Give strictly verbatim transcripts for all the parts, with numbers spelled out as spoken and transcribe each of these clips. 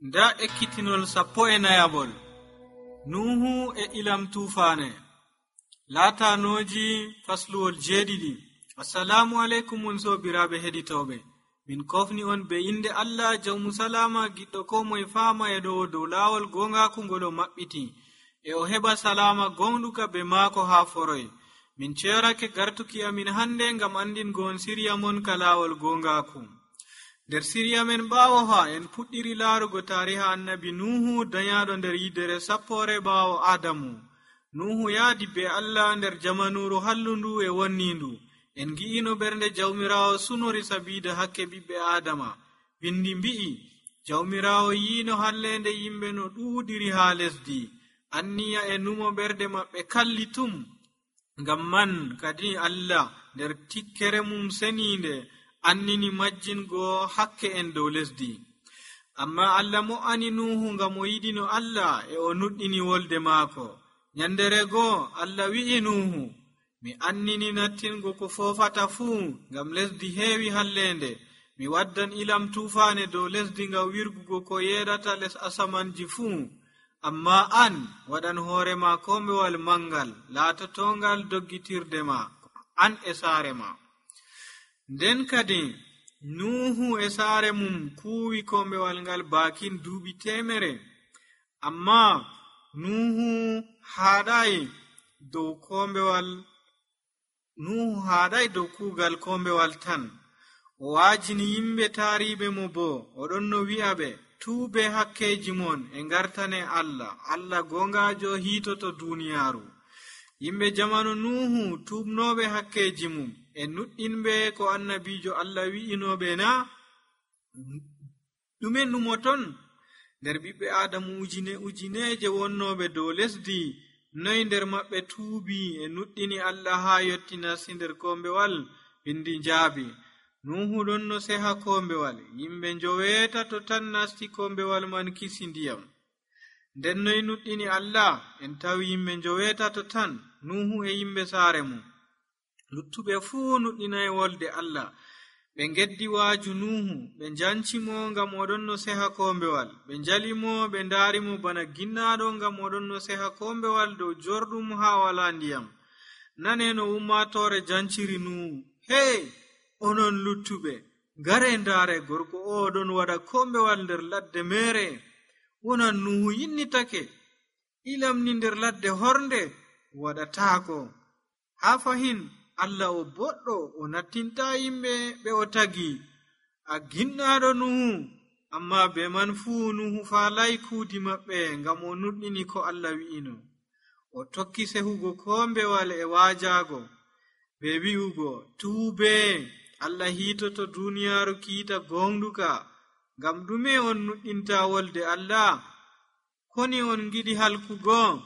Nda ekkitinol sappo e nayabol. Nuhu e ilam tufaane. Laatanoji fasluwol jeeɗiɗi. Assalamu alaikum mon sobiraɓe heɗitoɓe. Min kofni on be inde Allah jawmu salama giɗɗo ko moye faama e ɗo dow laawol gongaku ngol o maɓɓiti. E o heɓa salama gonɗuka be maako haa foroy. Min ceerake gartuki amin hande ngam andingo on siriya mon ka laawol gongaku. Der siriya men ɓaawo ha en puɗɗiri laarugo tariha annabi Nuhu dayaɗo nder yidere sappore ɓaawo Adamu. Nuhu yaadi be Allah nder jamanuru hallundu e wonnindu. En gi'ino bernde jawmirawo sunori sabida hakke ɓiɓɓe Adama. Bindi mbi'i jawmirawo yiino hallende yimɓe no ɗuuɗiri haa lesdi. Anniya e numo berde maɓɓe kalli tum. Ngam man kadi Allah nder tikkere mum seninde annini majjingo hakke en dow lesdi. Amma Allah mo'ani Nuhu ngam o yiɗino Allah e o nuɗɗini wolde maako. Nyandere goo Allah wi'i Nuhu, mi annini nattingo ko foofata fuu ngam lesdi heewi hallende. Mi waddan ilam tufaane dow lesdi ngam wirgugo ko yeedata les asamanji fuu. Amma an waɗan hoore ma kombewal mangal laatotongal doggitirde ma, an e saare ma. Nden kadi Nuhu e saare mum kuuwi kombewal ngal baakin duuɓi temere. Amma Nuhu haɗai dow kombewal Nuhu haɗai dow kuugal kombewal tan. O waajini yimɓe taariɓe mo bo oɗon no wi'a ɓe tuube hakkeji mon e ngartane Allah. Allah gongajo hiitoto duniyaaru. Yimɓe jamanu Nuhu tuubnoɓe hakkeji mum e nuɗɗinɓe ko annabijo Allah wi'inoɓe na. Ɗume numoton? Nder ɓiɓɓe Adamu ujine ujineje wonnoɓe dow lesdi, noy nder maɓɓe tuubi e nuɗɗini Allah haa yotti nasti nder kombewal? Bindi njaabi Nuhu ɗon no seha kombewal. Yimɓe njoweetato tan nasti kombewal man kisi ndiyam. Nden noy nuɗɗini Allah? En tawi yimɓe njoweetato tan, Nuhu e yimɓe saare mum. Luttuɓe fuu nuɗɗinay wolde Allah. Ɓe ngeddi waaju Nuhu, ɓe njancimo ngam oɗon no seha kombewal. Ɓe njalimo, ɓe ndaarimo bana ginnaɗo ngam oɗon no seha kombewal dow jorɗum haa wala ndiyam. Nane no ummatore janciri Nuhu. Hey, onon luttuɓe, ngare ndaare gorko o ɗon waɗa kombewal nder ladde mere. Wonan Nuhu yinnitake, ilam ni nder ladde hornde waɗataako. Haa fahin Allah o boɗɗo o nattinta yimɓe ɓe o tagi. A ginnaɗo Nuhu, amma be man fuu Nuhu faalay kuudi maɓɓe ngam o nuɗɗini ko Allah wi'ino. O tokki sehugo kombewal e waajago be wi'ugo tuube. Allah hiitoto duniyaaru kiita gonduka. Ngam ɗume on nuɗɗinta wolde Allah? Koni on giɗi halkugo?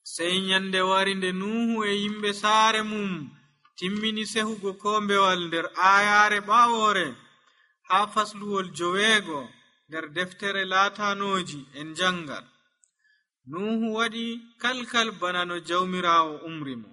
Sey nyande wari nde Nuhu e yimɓe saare mum timmini sehugo kombewal nder ayaare ɓaawore haa fasluwol joweego nder deftere laatanoji en jangal. Nuhu waɗi kalkal bana no jawmirawo umri mo.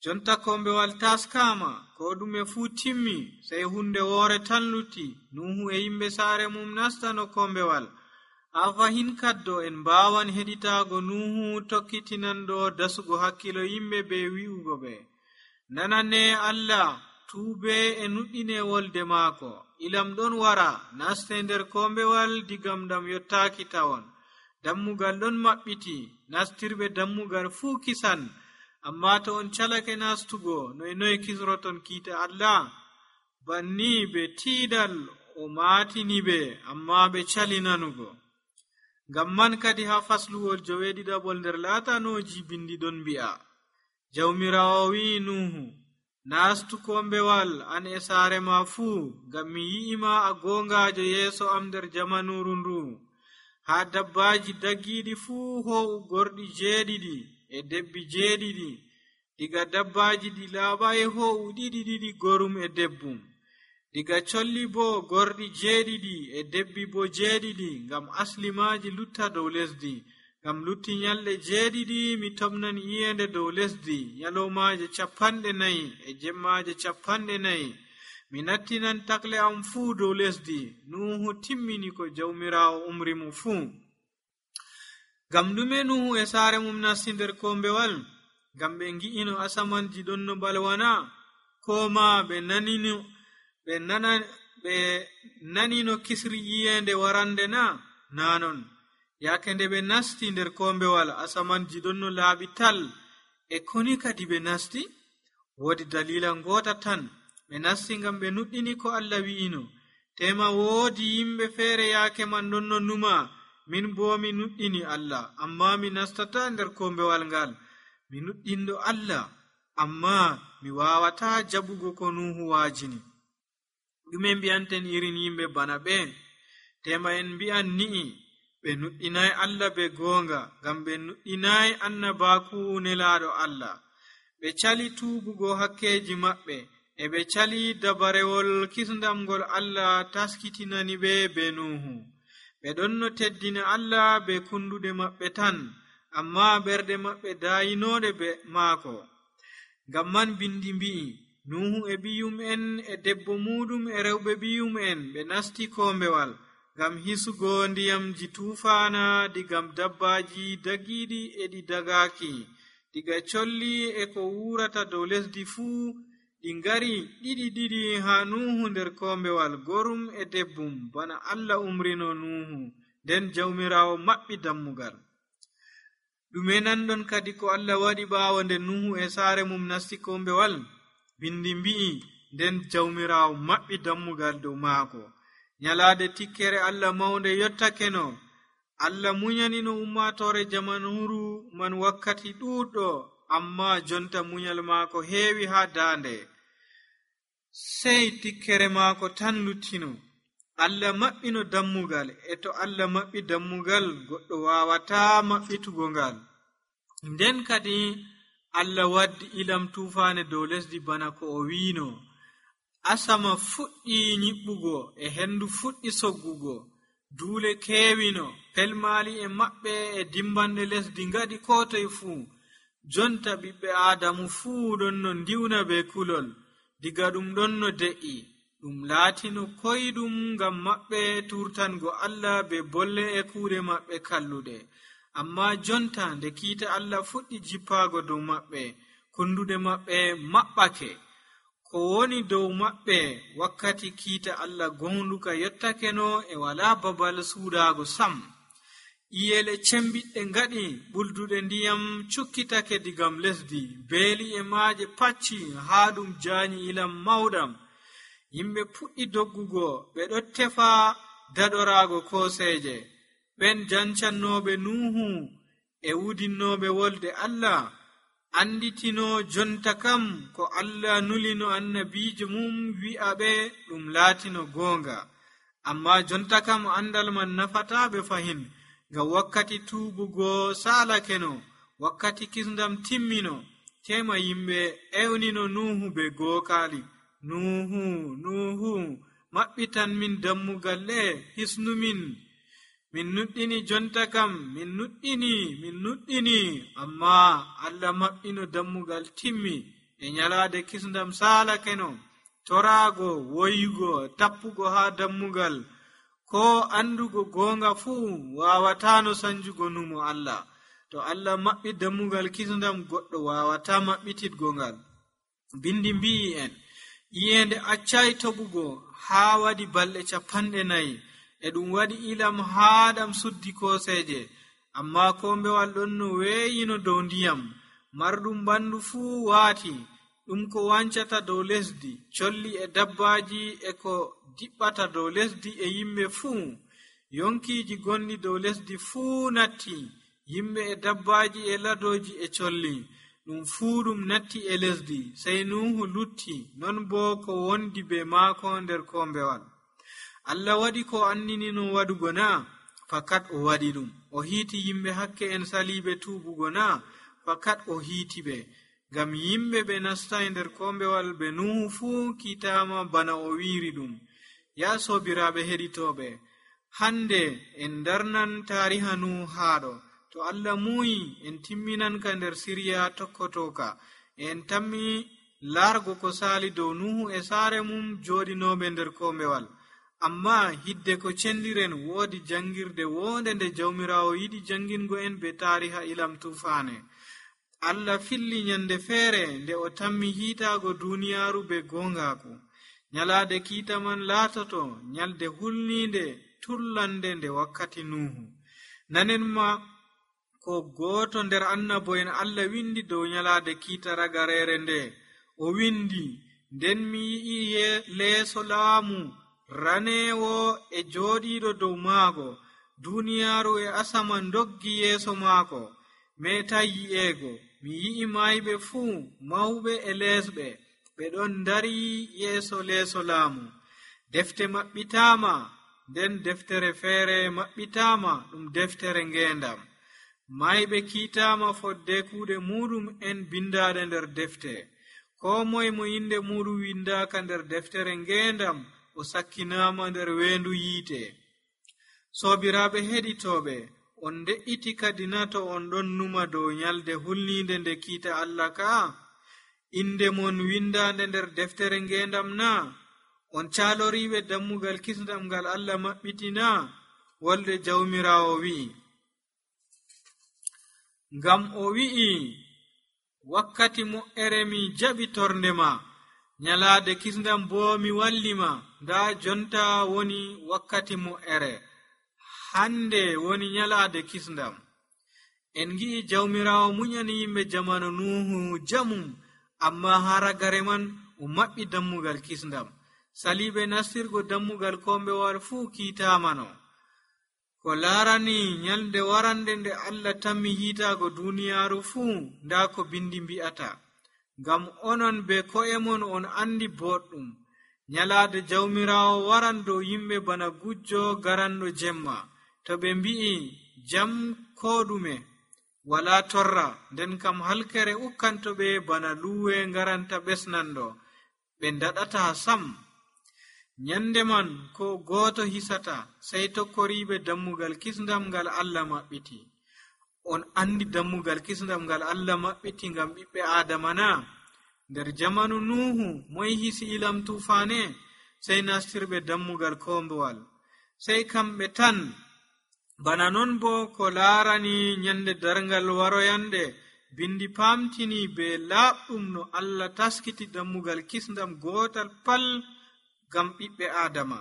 Jonta kombewal taskama, ko ɗume fuu timmi, sey hunde woore tan lutti. Nuhu e yimɓe saare mum nastano kombewal. Haa fahin kaddo en mbawan heɗitago Nuhu tokkitinanɗo dasugo hakkilo yimɓe be wi'ugo ɓe, nanane Allah, tuube e nuɗɗine wolde maako. Ilam ɗon wara, naste nder kombewal digam ɗam yottaaki tawon. Dammugal ɗon maɓɓiti, nastirɓe dammugal fuu kisan. Amma to on calake nastugo, noy noy kisroton kiita Allah? Banni be tiidal o maatini ɓe, amma ɓe cali nanugo. Ngam man kadi haa fasluwol joweeɗiɗaɓol nder laatanoji bindi ɗon mbi'a, jawmirawo wi'i Nuhu, nastu kombewal an e saare ma fuu, ngam mi yi'ima a gongajo yeeso am nder jamanuru ndu. Haa dabbaji daggiɗi fuu ho'u gorɗi jeeɗiɗi e debbi jeeɗiɗi. Diga dabbaji ɗi laaɓai ho'u ɗiɗi ɗiɗi gorum e debbum. Diga colli bo gorɗi jeeɗiɗi e debbi bo jeeɗiɗi, ngam aslimaji lutta dow lesdi. Ngam lutti nyalɗe jeeɗiɗi mi tomnan iyende dow lesdi, nyalomaje capanɗe nayi e jemmaje capanɗe nayi. mi nattinan takle am fuu dow lesdi. Nuhu timmini ko jawmiraawo umri mo fuu. Ngam ɗume Nuhu e saare mum nasti nder kombewal? Ngam ɓe ngi'ino asamanji ɗon no balwana, ko ma ɓe nanino ɓe nana ɓe nanino kisri yiyende warande na? Na non. Yaake nde ɓe nasti nder kombewal, asamanji ɗon no laaɓi tal. E koni kadi ɓe nasti? Woodi dalila ngota tan. Ɓe nasti ngam ɓe nuɗɗini ko Allah wi'ino. Tema woodi yimɓe feere yaake man ɗon no numa, min bo mi nuɗɗini Allah, amma mi nastata nder kombewal ngal. Mi nuɗɗindo Allah, amma mi wawata jaɓugo ko Nuhu waajini. Ɗume mbi'anten irin yimɓe bana ɓe? Tema en mbi'an ni'i, ɓe nuɗɗinai Allah be goonga, ngam ɓe nuɗɗinai annabaaku nelaaɗo Allah. Ɓe cali tuubugo hakkeji maɓɓe, e ɓe cali dabarewol kisndam ngol Allah taskitinani ɓe be Nuhu. Ɓe ɗon no teddina Allah be kunduɗe maɓɓe tan, amma ɓerɗe maɓɓe dayinoɗe be maako. Ngam man bindi mbi'i, Nuhu e ɓiyum en e debbo muɗum e rewɓe ɓiyum en ɓe nasti kombewal, ngam hisugo ndiyamji tufaana digam dabbaji dagiɗi e ɗi dagaki, diga colli e ko wurata dow lesdi fuu. Ɗi ngari ɗiɗi ɗiɗi ha Nuhu nder kombewal, gorum e debbum, bana Allah umrino Nuhu, nden jawmiraawo maɓɓi dammugal. Ɗume nanɗon kadi ko Allah waɗi ɓaawo nde Nuhu e saare mum nasti kombewal? Bindi mbi'i, nden jawmiraawo maɓɓi dammugal dow maako. Nyalaade tikkere Allah mawnde yottakeno. Allah munyanino ummatore jamanuru man wakkati ɗuɗɗo, amma jonta munyal maako heewi ha daande. Sey tikkere maako tan luttino. Allah maɓɓino dammugal, e to Allah maɓɓi dammugal, goɗɗo wawata maɓɓitugo ngal. Nden kadi Allah waddi ilam tufaane dow lesdi bana ko o wiino. Asama fuɗɗi nyiɓɓugo, e hendu fuɗɗi soggugo. Duule keewino, pelmaali e maɓɓe e dimbanɗe lesdi ngaɗi ko toye fuu. Jonta ɓiɓɓe Aadamu fuu ɗon no ndiwna be kulol. Diga ɗum ɗon no de'i, ɗum laatino koyɗum ngam maɓɓe turtango Allah be bolle e kuuɗe maɓɓe kalluɗe. Amma jonta nde kiita Allah fuɗɗi jippaago dow maɓɓe, kunduɗe maɓɓe maɓɓake. Ko woni dow maɓɓe wakkati kiita Allah gonduka yottakeno e wala babal suudaago sam. Iyele cembiɗɗe ngaɗi, ɓulduɗe ndiyam cukkitake digam lesdi, beeli e maaje pacci haa ɗum jaanyi ilam mawɗam. Yimɓe puɗɗi doggugo, ɓe ɗo tefa daɗoraago kooseeje. Ɓen jancannoɓe Nuhu e wudinnoɓe wolde Allah anditino jonta kam ko Allah nulino annabijo mum wi'aɓe ɗum laatino goonga. Amma jonta kam andal man nafataɓe fahin, ngam wakkati tuubugo saalakeno, wakkati kisndam timmino. Tema yimɓe ewnino Nuhu be gookaali. Nuhu, Nuhu, maɓɓitan min dammugal le, hisnumin. Min nuɗɗini jonta kam, min nuɗɗini, min nuɗɗini, amma Allah maɓɓino dammugal timmi, e nyalaade kisndam saalakeno. Toraago, woyugo, tappugo haa dammugal, ko andugo goonga fuu wawatano sanjugo numo Allah. To Allah maɓɓi dammugal kisndam, goɗɗo wawata maɓɓititgo ngal. Bindi mbi'i en, iyende accai toɓugo haa waɗi balɗe capanɗe nayi, e ɗum waɗi ilam haa ɗam suddi kooseeje. Amma kombewal ɗon no weeyino dow ndiyam, marɗum ɓandu fuu waati. Ɗum ko wancata dow lesdi, colli e dabbaji e ko diɓɓata dow lesdi e yimɓe fuu. Yonkiiji gonɗi dow lesdi fuu natti, yimɓe e dabbaji e ladoji e colli. Ɗum fuu ɗum natti e lesdi, sey Nuhu lutti, non bo ko wondi be maako nder kombewal. Allah waɗi ko anninino waɗugo na? Fakat o waɗi ɗum. O hiiti yimɓe hakke en saliɓe tuubugo na? Fakat o hiiti ɓe. Ngam yimɓe ɓe nastai nder kombewal be Nuhu fuu kiitama bana o wiiri ɗum. Ya sobiraɓe heɗitoɓe, hande en darnan tariha Nuhu haɗo. To Allah muyi en timminanka nder siriya tokkotoka. En tammi largo ko sali dow nuhu e saare mum joɗinoɓe nder kombewal. Amma hidde ko cendiren woodi jangirde wonde nde jawmirawo yiɗi jangingo en be tariha ilam tufane. Allah filli nyande feere nde o tammi hiitago duniyaru be gongaku. Nyalade kiita man laatoto nyalde hulninde tullande nde wakkati nuhu. Nanen ma ko goto nder annabo'en Allah windi dow nyalade kiita ragarere nde. O windi, nden mi yi'i leeso laamu ranewo e joɗiɗo dow maago. Duniyaru e asaman doggi yeeso maako, metai yi'ego. Mi yi'i mayɓe fuu, mawɓe e lesɓe, ɓe ɗon dari yeeso leeso laamu. Defte maɓɓitama, nden deftere feere maɓɓitama ɗum deftere ngendam. Mayɓe kiitama fodde kuuɗe muɗum en bindaɗe nder defte. Ko moye mo inde muɗum windaka nder deftere ngendam o sakkinama nder weendu yiite. Sobiraɓe heɗitoɓe, on de'iti kadi na to on ɗon numa dow nyalde hulninde nde kiita Allah ka? Inde mon windande nder deftere ngendam na? On caloriɓe dammugal kisndam ngal Allah maɓɓitina? Wolde jawmirawo wi'i. Ngam o wi'i, wakkati mo'ere mi jaɓi torde ma, nyalade kisndam bo mi wallima. Nda jonta woni wakkati mo'ere, hande woni nyalade kisndam. En gi'i jawmirawo munyani yimɓe jamanu nuhu jamum, amma haragare man o maɓɓi dammugal kisndam. Saliɓe nastirgo dammugal kombewal fuu kiitamano. Ko laarani nyalde warande nde Allah tammi hiitago duniyaru fuu, nda ko bindi mbi'ata. Ngam onon be ko'e mon on andi boɗɗum, nyalade jawmirawo waran dow yimɓe bana gujjo garanɗo jemma. To ɓe mbi'i jam ko ɗume wala torra, nden kam halkere ukkantoɓe bana luwe garanta ɓesnanɗo, ɓe ndaɗata sam. Nyande man ko goto hisata, sai tokkoriɓe dammugal kisndam ngal Allah maɓɓiti. On andi dammugal kisndam ngal Allah maɓɓiti ngam ɓiɓɓe Adama na? Nder jamanu Nuhu moy hisi ilam tufane? Sai nastirɓe dammugal kombewal, sai kamɓe tan. Bana non bo ko laarani nyande darngal waroyande, bindi pamtini be laaɓɗum no Allah taskiti dammugal kisndam gotal pal ngam ɓiɓɓe Adama.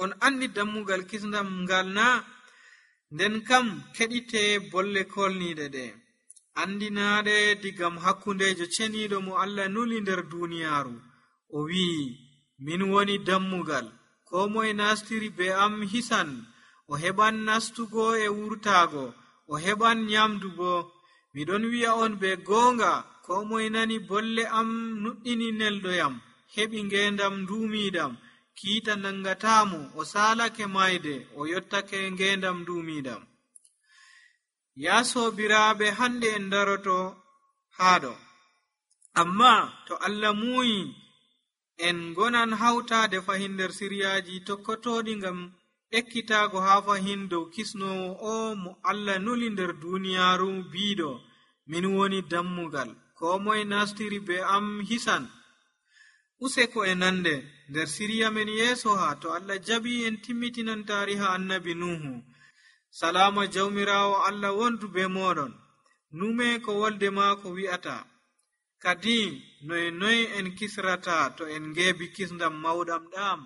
On andi dammugal kisndam ngal na? Nden kam keɗite bolle kolniɗe ɗe. Andinaɗe digam hakkundejo ceniɗo mo Allah nuli nder duniyaru. O wi'i, min woni dammugal, ko moye nastiri be am hisan. O heɓan nastugo e wurtago, o heɓan nyamdu bo. Miɗon wi'a on be goonga, ko moye nani bolle am nuɗɗini neldoyam, heɓi ngendam ndumiɗam, kiita nangatamo, o salake mayde, o yottake ngendam ndumiɗam. Ya sobiraɓe, hande en daroto haɗo. Amma to Allah muyi en gonan hautade fahin nder siryaji tokkotoɗi ngam ekkitago ha fahin dow kisnowo o mo Allah nuli nder duniyaru biiɗo, min woni dammugal, ko moye nastiri be am hisan. Useko e nande nder siriya men yeso ha to Allah jabi en timmitinan tariha annabi Nuhu. Salama jawmirawo Allah wondu be moɗon. Nume ko wolde maako wi'ata. Kadi noye noye en kisrata to en ngeebi kisndam mawɗam ɗam.